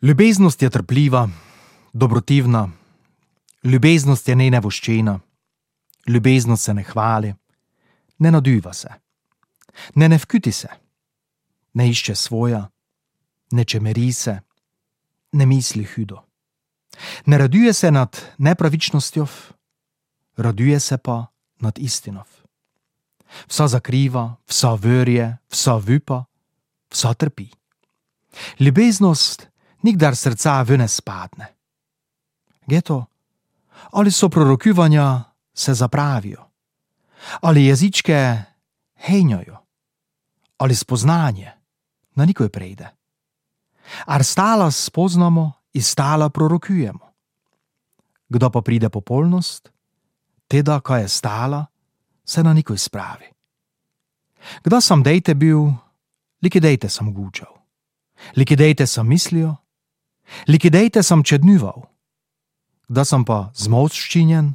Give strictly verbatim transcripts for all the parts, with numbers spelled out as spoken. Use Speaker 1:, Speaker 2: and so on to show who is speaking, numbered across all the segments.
Speaker 1: Ljubeznost je trpljiva, dobrotivna, ljubeznost je nenevoščena, ljubeznost se ne hvali, ne naduva se, ne ne vkuti se, ne išče svoja, ne čemeri se, ne misli hudo. Ne raduje se nad nepravičnostjo, raduje se pa nad istinov. Vsa zakriva, vsa verje, vsa vupa, vsa trpi. Ljubeznost nikdar srca ven ne spadne. Geto, ali so prorokivanja se zapravijo, ali jezičke henjajo, ali spoznanje na nikoj prejde. Ar stala spoznamo in stala prorokujemo. Kdo pa pride popolnost, teda, kaj je stala, se na nikoj spravi. Kdo sam dejte bil, likidejte sam gučal, likidejte sam mislijo, likidejte sam čednjuval, kdo sam pa zmovščinjen,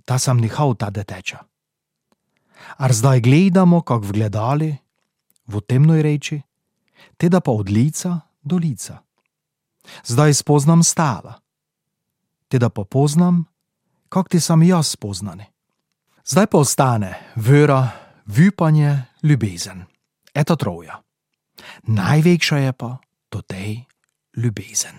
Speaker 1: ta sam nihal ta deteča. Ar zdaj gledamo, kak v gledali, v temnoj reči, teda pa od lica do lica. Zdaj spoznam stala, teda pa poznam, kak ti sam jaz spoznani. Zdaj pa ostane vera, vupanje, ljubezen. Eto troja. Največja je pa to tej ljubezen.